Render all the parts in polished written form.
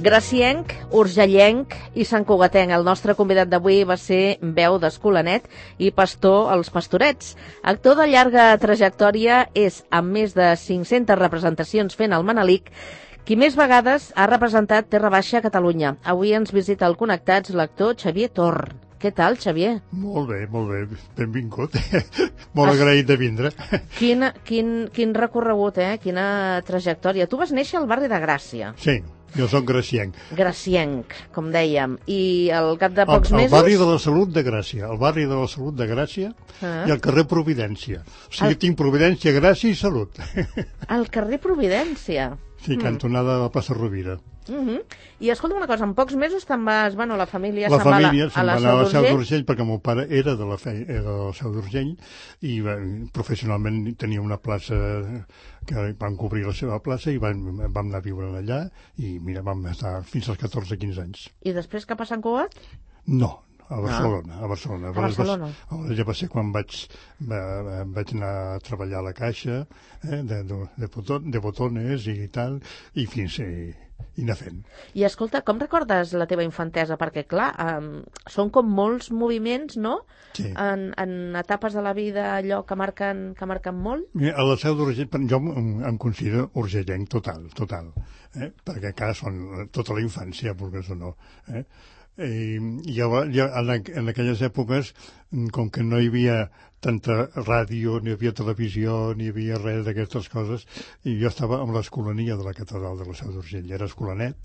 Gracienc, urgellenc i santcugatenc. El nostre convidat d'avui va ser veu d'Escolanet i pastor als Pastorets. Actor de llarga trajectòria, és, amb més de 500 representacions fent el Manelic, qui més vegades ha representat Terra Baixa a Catalunya. Avui ens visita al Connectats l'actor Xavier Torn. Què tal, Xavier? Molt bé, benvingut. Molt agraït de vindre. Quin recorregut, quina trajectòria. Tu vas néixer al barri de Gràcia. Sí, jo soc gracienc. Gracienc, com dèiem. I al cap de pocs mesos... El barri de la Salut de Gràcia. El barri de la Salut de Gràcia i el carrer Providència. O sigui, tinc Providència, Gràcia i Salut. El carrer Providència. Sí, cantonada de la plaça Rovira. I escolta una cosa, en pocs mesos te'n vas, bueno, la família se'n va a la Seu d'Urgell perquè el meu pare era de la Seu d'Urgell i professionalment tenia una plaça que van cobrir la seva plaça i vam anar a viure allà i mira, vam estar fins als 14-15 anys. I després cap a Sant Cugat? No, a Barcelona. A Barcelona. Ja va ser quan vaig anar a treballar a la Caixa de botones i tal, i fins i anar fent. I escolta, com recordes la teva infantesa? Perquè, clar, són com molts moviments, no? Sí. En etapes de la vida, allò que marquen molt? Mira, a la Seu d'Urgell, jo em considero urgellenc total, perquè encara són tota la infància, vulguis o no. I en aquelles èpoques, com que no hi havia tanta ràdio, ni hi havia televisió, ni hi havia res d'aquestes coses, i jo estava amb l'escolania de la catedral de la Seu d'Urgell, era escolanet,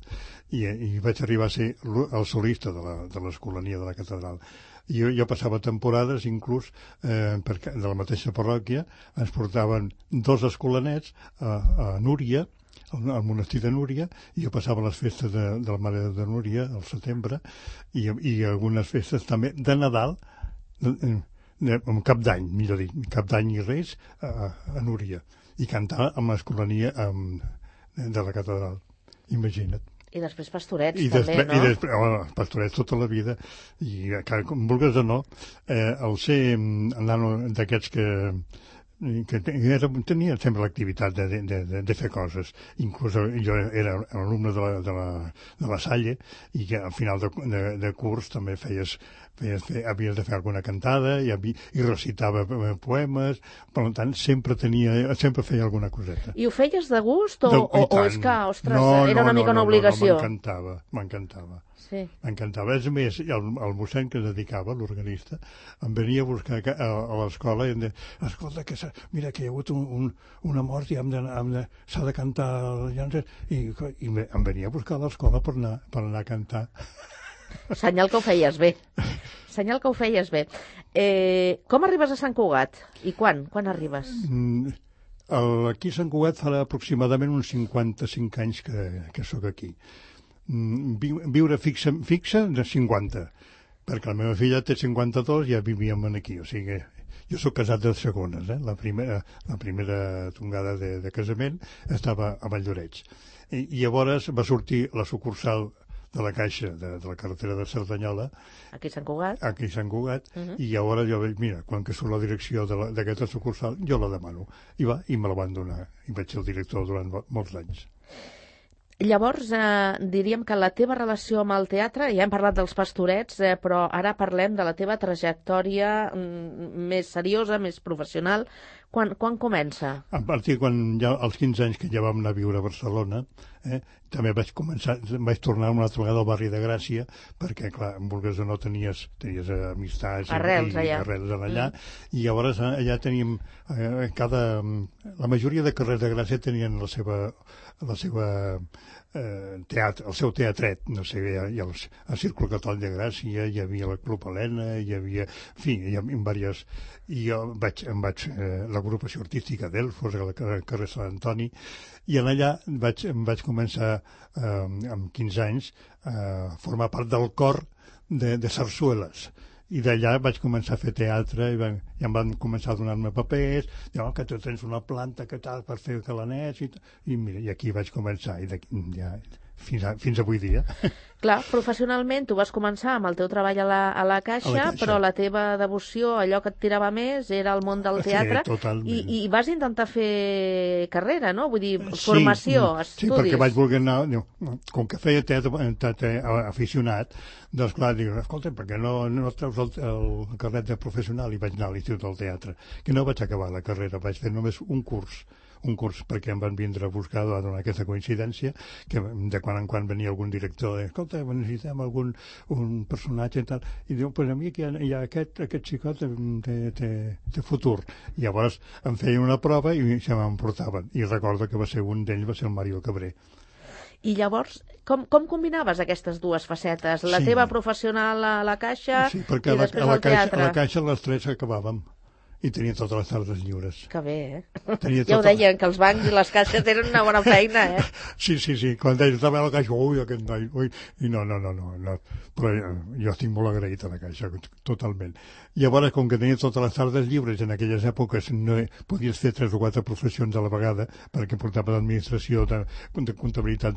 i vaig arribar a ser el solista de l'escolania de la catedral. Jo passava temporades, inclús, de la mateixa parròquia, ens portaven 2 escolanets a Núria, al monestir de Núria, i jo passava les festes de la Mare de Núria al setembre i algunes festes també de Nadal, amb Cap d'Any, millor dit, Cap d'Any i Reis a Núria, i cantar amb l'escolania de la catedral, imagina't. I després Pastorets, també, no? I després, Pastorets tota la vida, i com vulguis o no, el ser nano d'aquests que tenia sempre l'activitat de fer coses. Inclús jo era alumne de la Salle i que al final de curs també havies de fer alguna cantada i recitava poemes, per tant sempre feia alguna coseta. I ho feies de gust o és que, ostres, era una mica una obligació? M'encantava. Sí. M'encantava. És més, el mossèn que es dedicava, l'organista, em venia a buscar a l'escola i em deia, escolta, mira que hi ha hagut una mort i s'ha de cantar i em venia a buscar a l'escola per anar a cantar. Senyal que ho feies bé. Com arribes a Sant Cugat? I quan arribes? Aquí a Sant Cugat farà aproximadament uns 55 anys que sóc aquí. Viure fixa de 50, perquè la meva filla té 52 i ja vivíem aquí, o sigui, jo sóc casat de segones, la primera tongada de casament estava a Valldoreix, i llavors va sortir la sucursal de la Caixa de la carretera de Cerdanyola aquí a Sant Cugat, i llavors jo vaig, mira, quan que surt la direcció d'aquesta sucursal jo la demano, i me la van donar i vaig ser el director durant molts anys. Llavors, diríem que la teva relació amb el teatre, ja hem parlat dels Pastorets, però ara parlem de la teva trajectòria més seriosa, més professional. Quan comença? A partir ja als 15 anys que ja vam anar a viure a Barcelona, també vaig tornar una altra vegada al barri de Gràcia, perquè, clar, vulguis o no, tenies amistats arrels allà, i llavors allà teníem la majoria de carrers de Gràcia tenien el seu teatret, no sé, hi havia el Círculo Catòlic de Gràcia, hi havia la Club Helena, hi havia diverses, i jo l'agrupació artística d'Elfos, al carrer Sant Antoni, i allà em vaig començar amb 15 anys a formar part del cor de sarsueles. I d'allà vaig començar a fer teatre i em van començar a donar-me papers, que tu tens una planta que tal per fer calanets, i mira, i aquí vaig començar, i ja fins avui dia. Clar, professionalment tu vas començar amb el teu treball a la Caixa, però la teva devoció, allò que et tirava més, era el món del teatre. Sí, totalment. I vas intentar fer carrera, no? Vull dir, formació, estudis. Sí, perquè vaig voler anar... Com que feia teatre aficionat, doncs clar, dic, escolta, per què no treus el carnet de professional? I vaig anar a l'Institut del Teatre, que no vaig acabar la carrera, vaig fer només un curs perquè em van vindre a buscar, va donar aquesta coincidència, que de quan en quan venia algun director, escolta, necessitem un personatge i tal, i diu, pues a mi que hi ha aquest xicot té futur. I llavors em feien una prova i se m'emportaven, i recordo que va ser un d'ells, va ser el Mario Cabré. I llavors, com combinaves aquestes dues facetes? La teva professional a la Caixa i després al teatre? A la Caixa les tres acabàvem. I tenia totes les tardes lliures. Que bé, Ja ho deien, que els bancs i les caixes tenen una bona feina, Sí. Quan deia, estava a la Caixa, aquest noi, i no. Però jo estic molt agraït a la Caixa, totalment. Llavors, com que tenia totes les tardes lliures, en aquelles èpoques no podies fer 3 o 4 professions a la vegada, perquè portava d'administració, de comptabilitat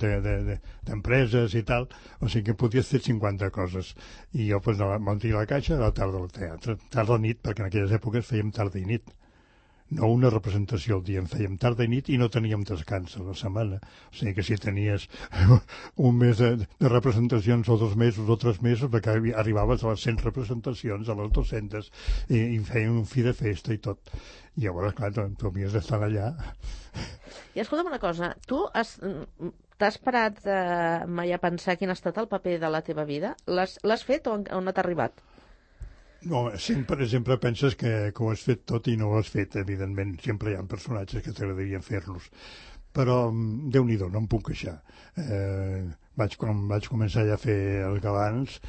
d'empreses i tal, o sigui que podies fer 50 coses. I jo, doncs, m'entria a la Caixa, a la tarda al teatre, tarda o nit, perquè en aquelles èpoques fèiem tarda i nit. No una representació al dia, en fèiem tarda i nit i no teníem descans a la setmana. O sigui que si tenies un mes de representacions o 2 mesos o 3 mesos, perquè arribaves a les 100 representacions, a les 200, i feien un fi de festa i tot. I llavors, clar, tu havies d'estar allà. I escolta'm una cosa, tu t'has parat mai a pensar quin ha estat el paper de la teva vida? L'has fet o on t'ha arribat? No, sempre penses que ho has fet tot i no ho has fet, evidentment. Sempre hi ha personatges que t'agradarien fer-los. Però, Déu-n'hi-do, no em puc queixar. Quan vaig començar ja a fer els galants,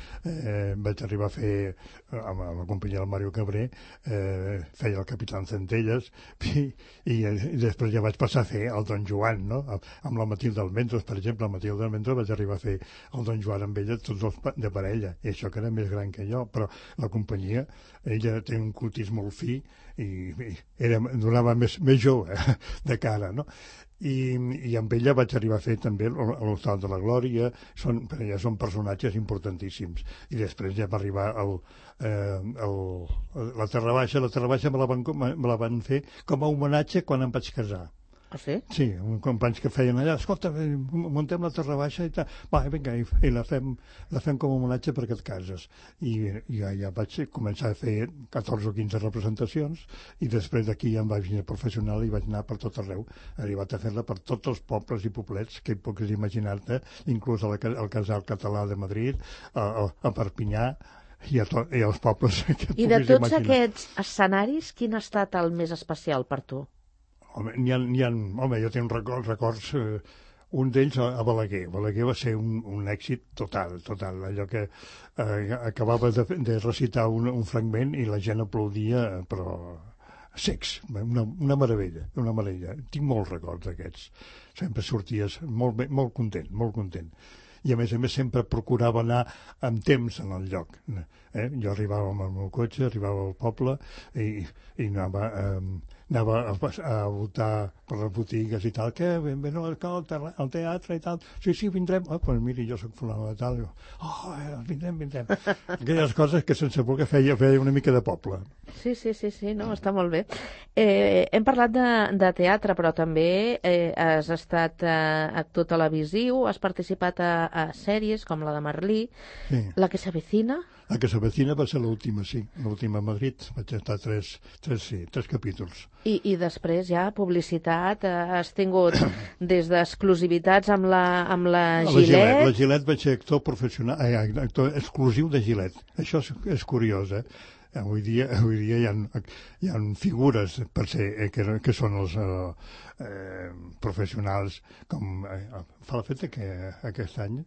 vaig arribar a fer, amb la companyia del Mario Cabré, feia el Capitán Centelles, i després ja vaig passar a fer el Don Joan, no? Amb la Matilde Almendros, per exemple, la Matilde Almendros vaig arribar a fer el Don Joan amb ella, tots els de parella, i això que era més gran que jo, però la companyia, ella té un cutis molt fi, i donava més jove de cara, no? I amb ella vaig arribar a fer també l'Hostal de la Glòria, ja són personatges importantíssims. I després ja va arribar la Terra Baixa. La Terra Baixa me la van fer com a homenatge quan em vaig casar. Ah, sí? Sí, companys que feien allà, escolta, muntem la Terra Baixa i tal, va, vinga, i la fem com a homenatge perquè et cases. I ja vaig començar a fer 14 o 15 representacions, i després d'aquí ja em vaig venir professional i vaig anar per tot arreu. He arribat a fer-la per tots els pobles i poblets que puguis imaginar-te, inclús al Casal Català de Madrid, a Perpinyà, i als pobles que puguis imaginar. I de tots aquests escenaris, quin ha estat el més especial per tu? Home, jo tinc records, un d'ells a Balaguer. Balaguer va ser un èxit total. Allò que acabava de recitar un fragment i la gent aplaudia, però secs, una meravella. Tinc molts records d'aquests. Sempre sorties molt content. I a més sempre procurava anar amb temps en el lloc. Jo arribava amb el meu cotxe, arribava al poble i anava a voltar per les botigues i tal, que al teatre i tal, sí, vindrem, doncs miri, jo soc fulano de tal, vindrem. Aquelles coses que sense voler feia una mica de poble. Sí, no, està molt bé. Hem parlat de teatre, però també has estat actor televisiu, has participat a sèries com la de Merlí, sí. La que s'avecina. La que s'avecina va ser l'última, sí, l'última a Madrid. Vaig estar tres capítols. I després ja publicitat, has tingut des d'exclusivitats amb la Gillette. La Gillette vaig ser actor professional, actor exclusiu de Gillette. Això és curiós, Avui dia hi ha figures per ser que són els professionals, com fa el fet que aquest any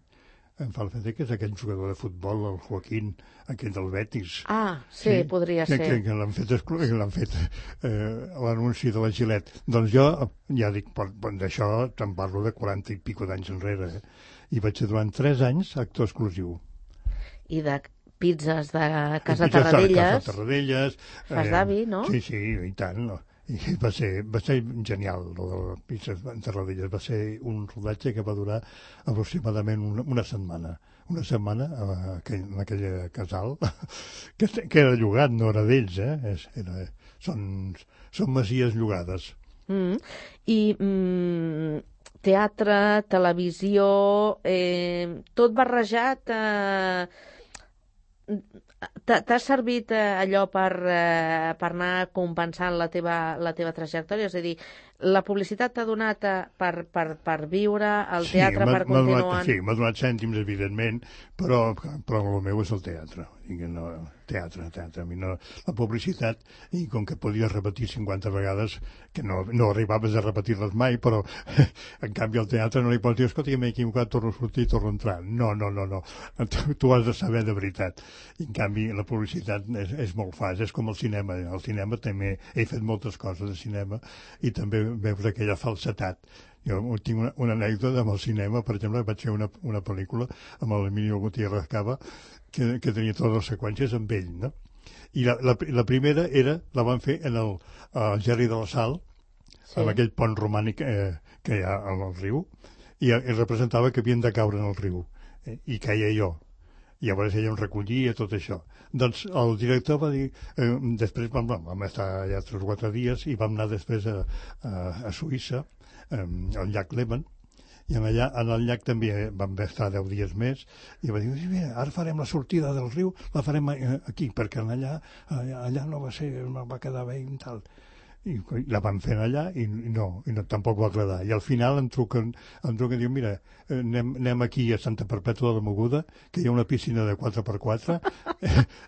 em fa el fet que és aquell jugador de futbol, el Joaquín, aquell del Betis. Ah, sí, podria ser. Que l'han fet l'anunci de la Gillette. Doncs jo, ja dic, d'això te'n parlo de 40 i pico d'anys enrere, I vaig ser durant 3 anys actor exclusiu. I de pizzas de Casa Tarradellas. Casa Tarradellas. Fas d'avi, no? Sí, i tant. I va ser genial, el de la pista de rodelles. Va ser un rodatge que va durar aproximadament una setmana. Una setmana en aquell casal, que era llogat, no era d'ells, són masies llogades. I teatre, televisió, tot barrejat... T'ha servit allò per anar compensant la teva trajectòria? És a dir, la publicitat t'ha donat per viure, el teatre per continuar... Sí, m'ha donat cèntims, evidentment, però el meu és el teatre. Teatre. A mi no, la publicitat, i com que podies repetir 50 vegades, que no arribaves a repetir-les mai, però en canvi al teatre no li pots dir, escolta, m'he equivocat, torno a sortir i torno a entrar. No. Tu has de saber de veritat. I en canvi la publicitat és molt fàcil, és com el cinema. Al cinema també he fet moltes coses de cinema i també veus aquella falsetat. Jo tinc una anècdota amb el cinema, per exemple, vaig fer una pel·lícula amb l'Emilio Gutiérrez Cava que tenia totes les seqüències amb ell, no? I la primera la van fer en el Gerri de la Sal, sí, amb aquell pont romànic que hi ha al riu, i representava que havien de caure en el riu, i caia jo. I llavors ella em recollia tot això. Doncs el director va dir... després vam estar allà 3 o 4 dies i vam anar després a Suïssa, al llac Léman, i en el llac també vam estar 10 dies més, i va dir, ara farem la sortida del riu, la farem aquí, perquè allà no va quedar bé i tal. I la van fer allà i no tampoc va agradar. I al final em truquen i diu, mira, anem aquí a Santa Perpètua de la Mogoda, que hi ha una piscina de 4x4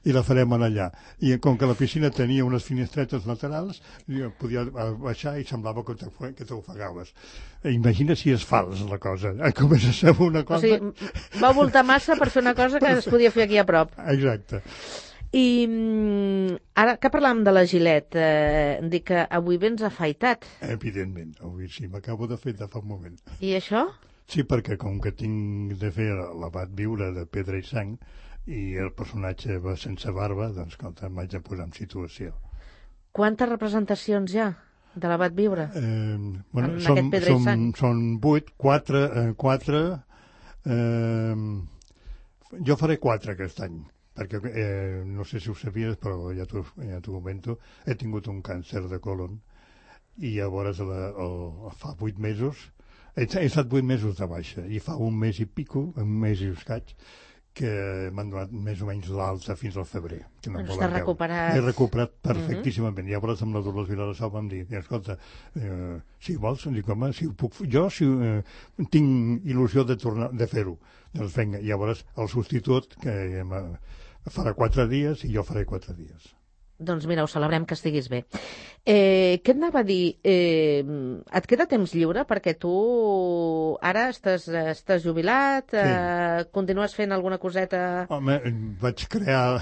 i la farem allà. I com que la piscina tenia unes finestretes laterals, podia baixar i semblava que t'ofegaves. Imagina si és fals la cosa. Comença a ser una cosa... O sigui, va voltar massa per fer una cosa que es podia fer aquí a prop. Exacte. I ara que parlàvem de la Gillette, dic que avui vens afaitat. Evidentment, avui sí, m'acabo de fer fa un moment. I això? Sí, perquè com que tinc de fer l'abat viure de Pedra i Sang i el personatge va sense barba, doncs escolta, m'haig de posar en situació. Quantes representacions hi ha de l'abat viure? Són 8, 4... jo faré 4 aquest any, perquè no sé si ho sabies, però ja t'ho comento, he tingut un càncer de colon i llavors fa 8 mesos, he estat 8 mesos de baixa i fa un mes i escaig, que m'han donat més o menys l'alta fins al febrer. Doncs t'has recuperat. He recuperat perfectíssimament. Llavors amb la Dolors Viladasau vam dir, escolta, si vols, dic, home, si ho puc fer, jo tinc il·lusió de fer-ho. Doncs vinga, llavors el substitut que farà 4 dies i jo faré 4 dies. Doncs mira, ho celebrem que estiguis bé. Què et anava a dir? Et queda temps lliure? Perquè tu ara estàs jubilat, sí. Continues fent alguna coseta... Home, vaig crear,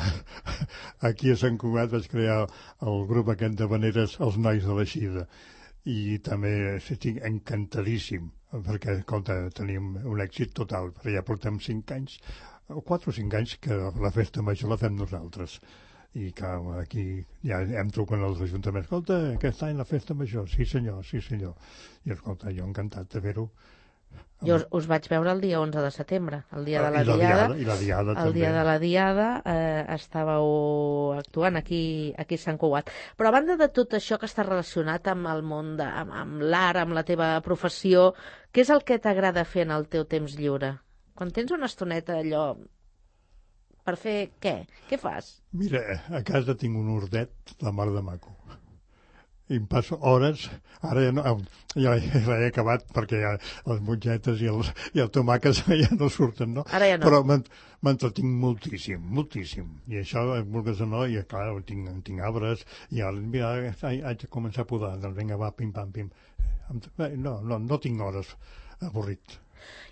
aquí a Sant Cugat, vaig crear el grup aquest de veneres Els Nois de la Xida. I també estic encantadíssim, perquè, escolta, tenim un èxit total, perquè ja portem 5 anys, 4 o 5 anys que la festa major la fem nosaltres. I que aquí ja em truquen els ajuntaments, escolta, aquest any la festa major, sí senyor. I escolta, jo encantat de fer-ho. Jo us vaig veure el dia 11 de setembre, el dia de la Diada. I la Diada també. El dia de la Diada estàveu actuant aquí a Sant Cugat. Però a banda de tot això que està relacionat amb el món, amb l'art, amb la teva professió, què és el que t'agrada fer en el teu temps lliure? Quan tens una estoneta allò... Per fer què? Què fas? Mira, a casa tinc un hordet, la mar de maco. I em passo hores, ara ja he acabat perquè ja les mongetes i el tomàquet ja no surten, no? Ara ja no. Però m'entretinc moltíssim. I això, vulgues o no, i clar, tinc arbres, i ara, mira, haig de començar a podar, doncs vinga, va, pim-pam-pim. No tinc hores, avorrit.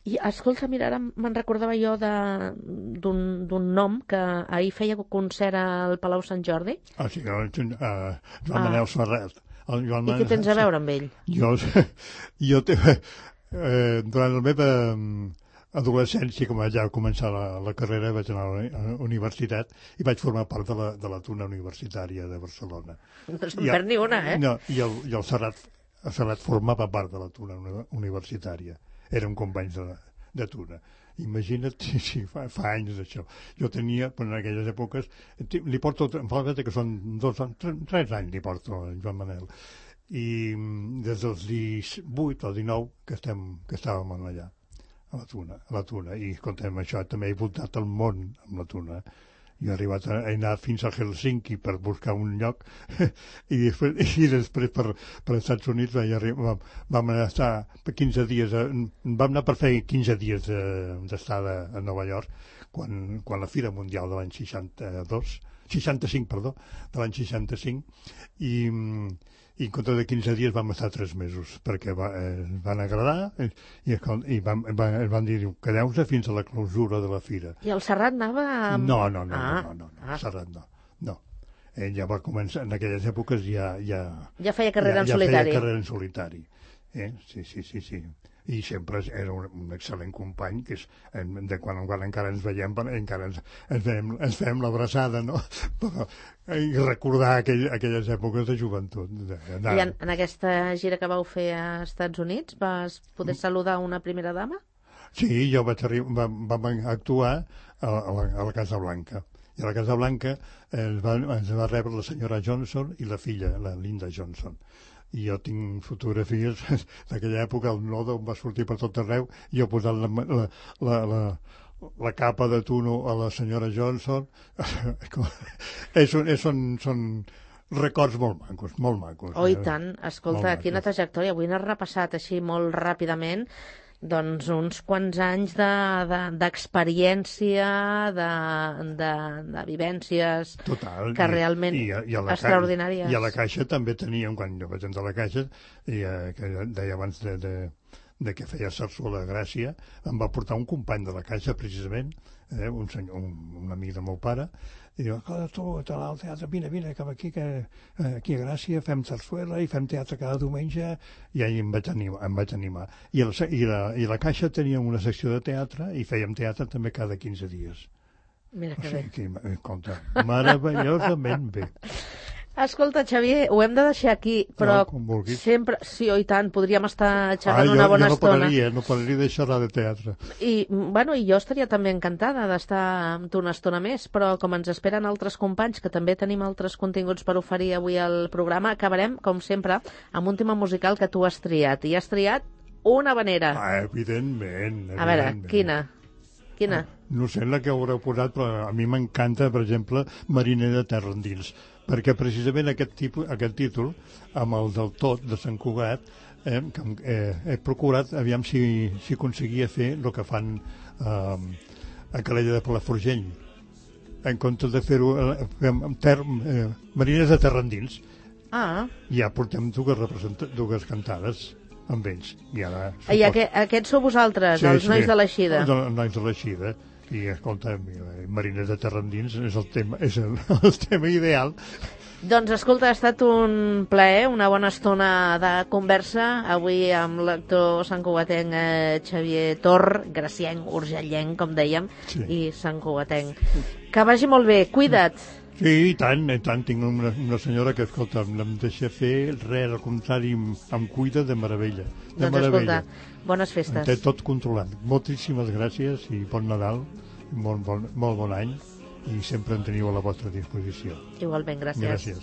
I escolta, mira, ara me'n recordava jo d'un nom que ahir feia concert al Palau Sant Jordi. Ah, sí, Joan Manel Serret. I què tens a veure amb ell? Jo durant la meva adolescència, com vaig ja començar la carrera, vaig anar a la universitat i vaig formar part de la Tuna Universitària de Barcelona. No se'n perd ni una, eh? No, i el Serrat formava part de la Tuna Universitària. Érem companys de Tuna. Imagina't, sí, fa anys d'això. Jo tenia, en aquelles èpoques, li porto, em fa que són 3 anys li porto a Joan Manel. I des dels 18 o 19 que estàvem allà. A la Tuna, i escolta'm, això també he voltat el món amb la Tuna. Jo he arribat a anar fins a Helsinki per buscar un lloc i després per Estats Units vam estar 15 dies, vam anar per fer 15 dies d'estada a Nova York quan la Fira Mundial de l'any 65, de l'any 65, i en compte de 15 dies vam estar 3 mesos perquè van agradar i van dir, quedeu-se fins a la clausura de la fira. I el Serrat anava amb... No, el Serrat no. Ell ja va començar, en aquelles èpoques ja feia carrera en solitari. Ja feia carrera en solitari. Sí. I sempre era un excel·lent company, que és de quan en quan encara ens veiem, encara ens fem l'abraçada, no? Però, i recordar aquelles èpoques de joventut. I en aquesta gira que vau fer a Estats Units vas poder saludar una primera dama? Sí, jo vam actuar a la Casa Blanca. I a la Casa Blanca ens va rebre la senyora Johnson i la filla, la Linda Johnson. I jo tinc fotografies d'aquella època, el nodo em va sortir per tot arreu, i jo posant la capa de tuno a la senyora Johnson. Són records molt macos. Oh, i tant. Escolta, quina trajectòria. Avui n'has repassat així molt ràpidament doncs uns quants anys d'experiència, de vivències que realment extraordinàries. I a la Caixa també teníem, quan jo vaig entrar a la Caixa, que deia abans de que feia Sarsuela a Gràcia, em va portar un company de la Caixa, precisament, un amic del meu pare, i diu, tu, al teatre, vine cap aquí, que aquí a Gràcia fem sarsuela i fem teatre cada diumenge, i ahir em vaig animar. I la Caixa tenia una secció de teatre i fèiem teatre també cada 15 dies. Mira que bé. Compte, meravellosament bé. Escolta, Xavier, ho hem de deixar aquí, però sempre... Sí, i tant, podríem estar xerrant una bona estona. No pararia de xerrar de teatre. I jo estaria també encantada d'estar amb tu una estona més, però com ens esperen altres companys, que també tenim altres continguts per oferir avui al programa, acabarem, com sempre, amb un tema musical que tu has triat. I has triat una habanera. Evidentment. A veure, quina? No sé la que haureu posat, però a mi m'encanta, per exemple, Mariner de terra endins, perquè precisament aquest títol, amb el del tot de Sant Cugat, he procurat, aviam si aconseguia fer el que fan a Calella de Palafrugell, en comptes de fer-ho Marines de terra endins. Ja portem dues cantades amb ells. I aquests sou vosaltres, els nois de l'Eixida? Els nois de l'Eixida. I escolta, Marines de terra endins és el tema ideal. Doncs escolta, ha estat un plaer, una bona estona de conversa avui amb l'actor santcugatenc Xavier Tor, gracienc, urgellenc, com dèiem, i santcugatenc. Que vagi molt bé, cuida't. Sí, i tant. Tinc una senyora que, escolta, no em deixa fer res, al contrari, em cuida de meravella. Doncs escolta, bones festes. Té tot controlat. Moltíssimes gràcies i bon Nadal, molt bon any, i sempre en teniu a la vostra disposició. Igualment, gràcies. Gràcies.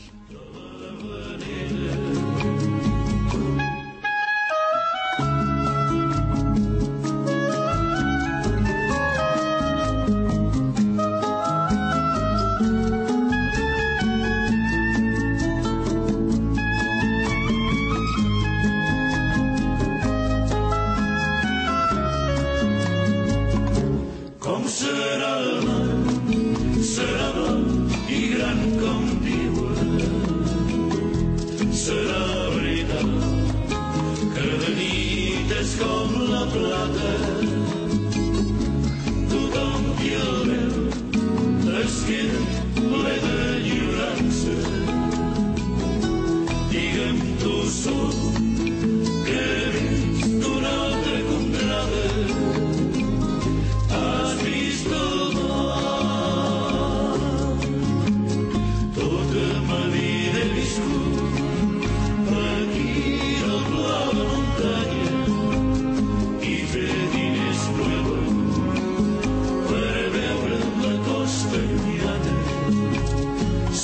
Serà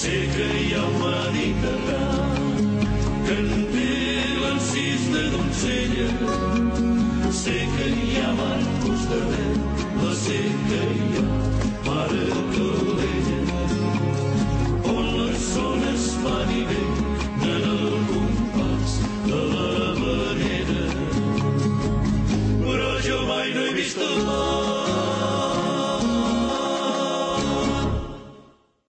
Sé que hi ha un Mediterrani que en té l'encís de donzella. Sé que hi ha barcos de vent, la sé que hi ha mare calent.